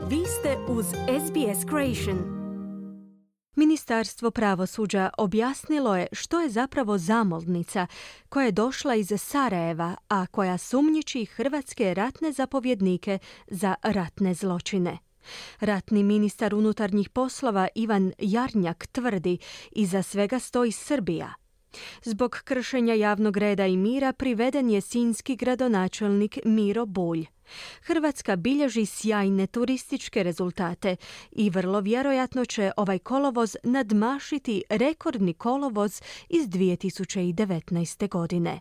Vi ste uz SBS Creation. Ministarstvo pravosuđa objasnilo je što je zapravo zamolnica koja je došla iz Sarajeva, a koja sumnjiči hrvatske ratne zapovjednike za ratne zločine. Ratni ministar unutarnjih poslova Ivan Jarnjak tvrdi, iza svega stoji Srbija. Zbog kršenja javnog reda i mira priveden je sinjski gradonačelnik Miro Bulj. Hrvatska bilježi sjajne turističke rezultate i vrlo vjerojatno će ovaj kolovoz nadmašiti rekordni kolovoz iz 2019. godine.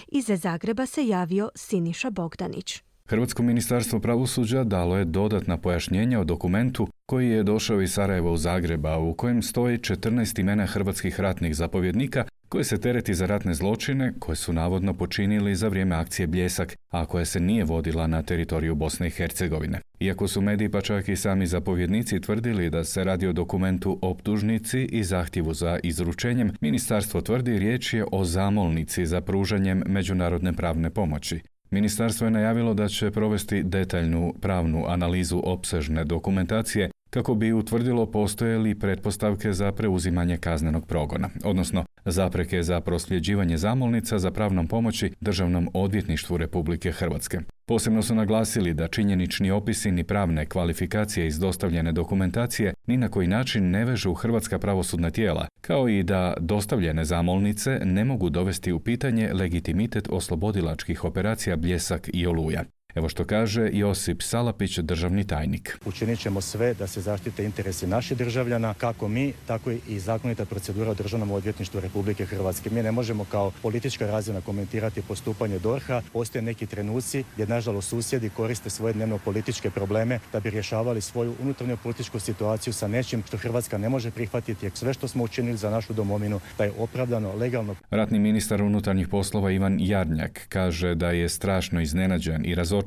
Iz Zagreba se javio Siniša Bogdanić. Hrvatsko ministarstvo pravosuđa dalo je dodatna pojašnjenja o dokumentu koji je došao iz Sarajeva u Zagreba, u kojem stoji 14 imena hrvatskih ratnih zapovjednika koji se tereti za ratne zločine koje su navodno počinili za vrijeme akcije Bljesak, a koja se nije vodila na teritoriju Bosne i Hercegovine. Iako su mediji pa čak i sami zapovjednici tvrdili da se radi o dokumentu optužnici i zahtjevu za izručenjem, ministarstvo tvrdi riječ je o zamolnici za pružanjem međunarodne pravne pomoći. Ministarstvo je najavilo da će provesti detaljnu pravnu analizu opsežne dokumentacije kako bi utvrdilo postoje li pretpostavke za preuzimanje kaznenog progona, odnosno zapreke za prosljeđivanje zamolnica za pravnom pomoći Državnom odvjetništvu Republike Hrvatske. Posebno su naglasili da činjenični opisi ni pravne kvalifikacije iz dostavljene dokumentacije ni na koji način ne vežu hrvatska pravosudna tijela, kao i da dostavljene zamolnice ne mogu dovesti u pitanje legitimitet oslobodilačkih operacija Bljesak i Oluja. Evo što kaže Josip Salapić, državni tajnik. Učinit ćemo sve da se zaštite interesi naših državljana, kako mi, tako i zakonita procedura u Državnom odvjetništvu Republike Hrvatske. Mi ne možemo kao politička razina komentirati postupanje DORH-a. Postoje neki trenuci gdje, nažalost, susjedi koriste svoje dnevno političke probleme da bi rješavali svoju unutarnju političku situaciju sa nečim što Hrvatska ne može prihvatiti, jer sve što smo učinili za našu domovinu da je opravdano, legalno. Ratni ministar unutarnjih poslova Ivan Jarnjak kaže da je strašno iznenađen i razočaran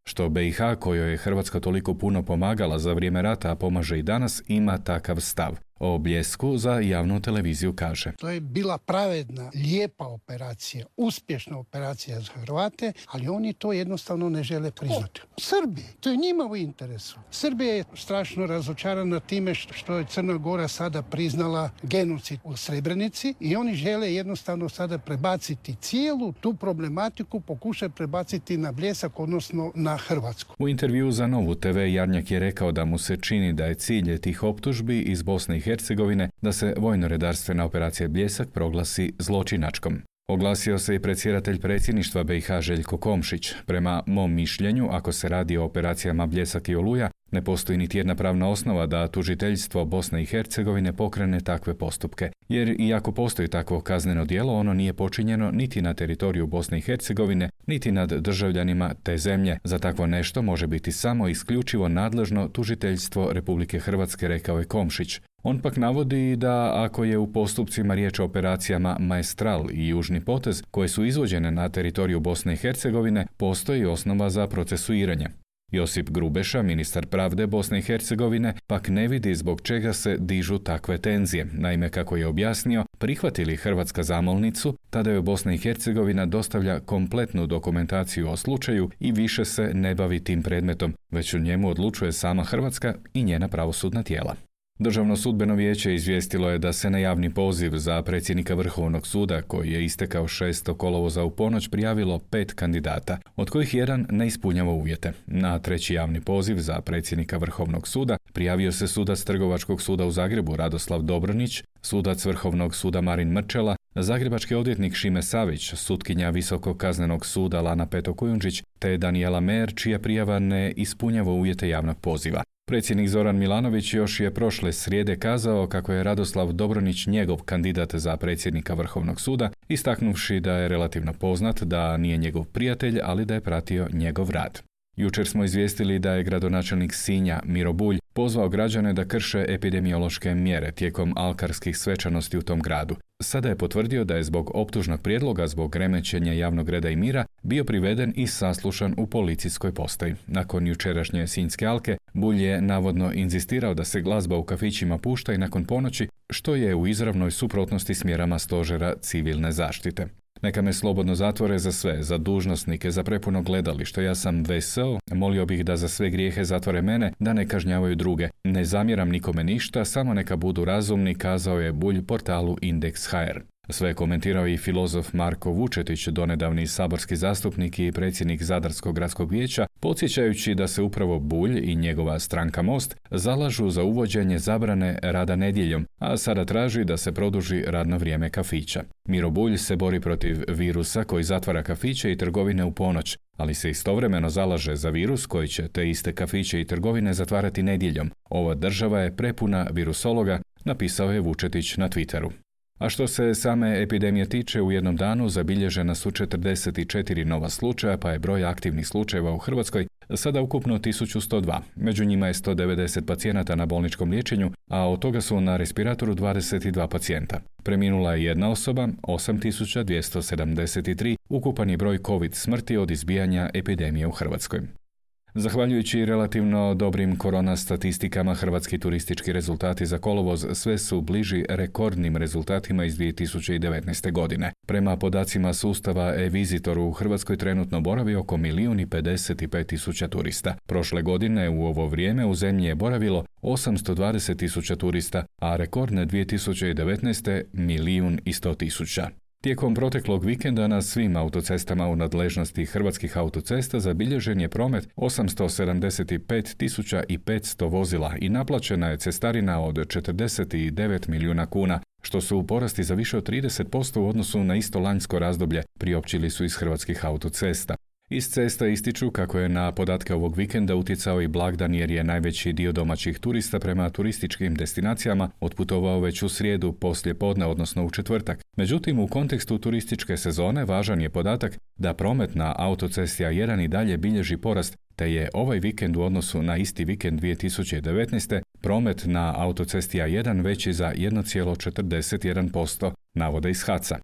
što BiH, kojoj je Hrvatska toliko puno pomagala za vrijeme rata, a pomaže i danas, ima takav stav. O Bljesku za javnu televiziju kaže: To je bila pravedna, lijepa operacija, uspješna operacija za Hrvate, ali oni to jednostavno ne žele priznati. Srbi, to je njima u interesu. Srbija je strašno razočarana time što je Crna Gora sada priznala genocid u Srebrenici i oni žele jednostavno sada prebaciti cijelu tu problematiku, pokušati prebaciti na Bljesak, odnosno na Hrvatsku. U intervju za Novu TV Jarnjak je rekao da mu se čini da je cilj tih optužbi iz Bosne i Hercegovine da se vojno-redarstvena operacija Bljesak proglasi zločinačkom. Oglasio se i predsjedatelj predsjedništva BiH Željko Komšić. Prema mom mišljenju, ako se radi o operacijama Bljesak i Oluja, ne postoji niti jedna pravna osnova da tužiteljstvo Bosne i Hercegovine pokrene takve postupke, jer iako postoji takvo kazneno djelo, ono nije počinjeno niti na teritoriju Bosne i Hercegovine, niti nad državljanima te zemlje. Za takvo nešto može biti samo isključivo nadležno tužiteljstvo Republike Hrvatske, rekao je Komšić. On pak navodi da ako je u postupcima riječ o operacijama Maestral i Južni potez, koje su izvođene na teritoriju Bosne i Hercegovine, postoji osnova za procesuiranje. Josip Grubeša, ministar pravde Bosne i Hercegovine, pak ne vidi zbog čega se dižu takve tenzije. Naime, kako je objasnio, prihvatili Hrvatska zamolnicu, tada joj Bosna i Hercegovina dostavlja kompletnu dokumentaciju o slučaju i više se ne bavi tim predmetom, već u njemu odlučuje sama Hrvatska i njena pravosudna tijela. Državno sudbeno vijeće izvijestilo je da se na javni poziv za predsjednika Vrhovnog suda, koji je istekao 6. kolovoza u ponoć, prijavilo 5 kandidata, od kojih jedan ne ispunjava uvjete. Na treći javni poziv za predsjednika Vrhovnog suda prijavio se sudac Trgovačkog suda u Zagrebu Radoslav Dobronić, sudac Vrhovnog suda Marin Mrčela, zagrebački odvjetnik Šime Savić, sutkinja Visokog kaznenog suda Lana Peto-Kujundžić te Danijela Mer, čija prijava ne ispunjava uvjete javnog poziva. Predsjednik Zoran Milanović još je prošle srijede kazao kako je Radoslav Dobronić njegov kandidat za predsjednika Vrhovnog suda, istaknuvši da je relativno poznat, da nije njegov prijatelj, ali da je pratio njegov rad. Jučer smo izvijestili da je gradonačelnik Sinja Miro Bulj pozvao građane da krše epidemiološke mjere tijekom alkarskih svečanosti u tom gradu. Sada je potvrdio da je zbog optužnog prijedloga zbog remećenja javnog reda i mira bio priveden i saslušan u policijskoj postaji. Nakon jučerašnje Sinjske alke, Bulj je navodno inzistirao da se glazba u kafićima pušta i nakon ponoći, što je u izravnoj suprotnosti s mjerama stožera civilne zaštite. Neka me slobodno zatvore za sve, za dužnosnike, za prepuno gledalište. Ja sam veseo, molio bih da za sve grijehe zatvore mene, da ne kažnjavaju druge. Ne zamjeram nikome ništa, samo neka budu razumni, kazao je Bulj portalu Indeks.hr. Sve je komentirao i filozof Marko Vučetić, donedavni saborski zastupnik i predsjednik Zadarskog gradskog vijeća, podsjećajući da se upravo Bulj i njegova stranka Most zalažu za uvođenje zabrane rada nedjeljom, a sada traži da se produži radno vrijeme kafića. Miro Bulj se bori protiv virusa koji zatvara kafiće i trgovine u ponoć, ali se istovremeno zalaže za virus koji će te iste kafiće i trgovine zatvarati nedjeljom. Ova država je prepuna virusologa, napisao je Vučetić na Twitteru. A što se same epidemije tiče, u jednom danu zabilježena su 44 nova slučaja, pa je broj aktivnih slučajeva u Hrvatskoj sada ukupno 1102. Među njima je 190 pacijenata na bolničkom liječenju, a od toga su na respiratoru 22 pacijenta. Preminula je jedna osoba, 8273, ukupan je broj COVID smrti od izbijanja epidemije u Hrvatskoj. Zahvaljujući relativno dobrim korona statistikama, hrvatski turistički rezultati za kolovoz sve su bliži rekordnim rezultatima iz 2019. godine. Prema podacima sustava e-Visitor u Hrvatskoj trenutno boravi oko 1.055.000 turista. Prošle godine u ovo vrijeme u zemlji je boravilo 820.000 turista, a rekordne 2019. 1.100.000. Tijekom proteklog vikenda na svim autocestama u nadležnosti Hrvatskih autocesta zabilježen je promet 875.500 vozila i naplaćena je cestarina od 49 milijuna kuna, što su porasti za više od 30% u odnosu na isto lanjsko razdoblje, priopćili su iz Hrvatskih autocesta. Iz cesta ističu kako je na podatke ovog vikenda utjecao i blagdan jer je najveći dio domaćih turista prema turističkim destinacijama otputovao već u srijedu poslije podne, odnosno u četvrtak. Međutim, u kontekstu turističke sezone važan je podatak da promet na autocesti A1 i dalje bilježi porast, te je ovaj vikend u odnosu na isti vikend 2019. promet na autocesti A1 veći za 1,41%, navode iz HAC-a.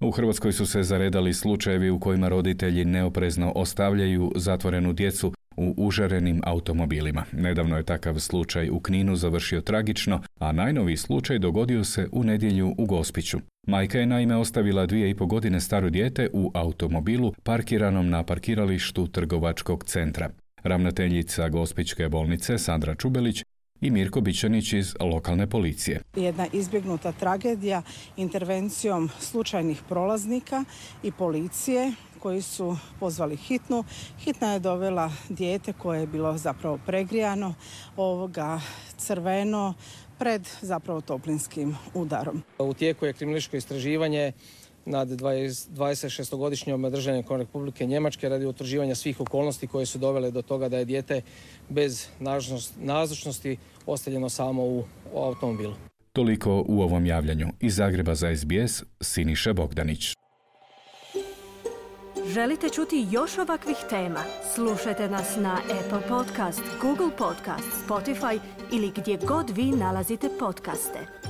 U Hrvatskoj su se zaredali slučajevi u kojima roditelji neoprezno ostavljaju zatvorenu djecu u užarenim automobilima. Nedavno je takav slučaj u Kninu završio tragično, a najnoviji slučaj dogodio se u nedjelju u Gospiću. Majka je naime ostavila 2,5 godine staro dijete u automobilu parkiranom na parkiralištu trgovačkog centra. Ravnateljica Gospićke bolnice Sandra Čubelić i Mirko Bičanić iz lokalne policije. Jedna izbjegnuta tragedija intervencijom slučajnih prolaznika i policije koji su pozvali hitnu. Hitna je dovela dijete koje je bilo zapravo pregrijano, crveno, pred zapravo toplinskim udarom. U tijeku je kriminalističko istraživanje nad 26-godišnjom državljankom Republike Njemačke radi utvrđivanja svih okolnosti koje su dovele do toga da je dijete bez nazočnosti ostavljeno samo u automobilu. Toliko u ovom javljanju. Iz Zagreba za SBS, Siniša Bogdanić. Želite čuti još ovakvih tema? Slušajte nas na Apple Podcast, Google Podcast, Spotify ili gdje god vi nalazite podcaste.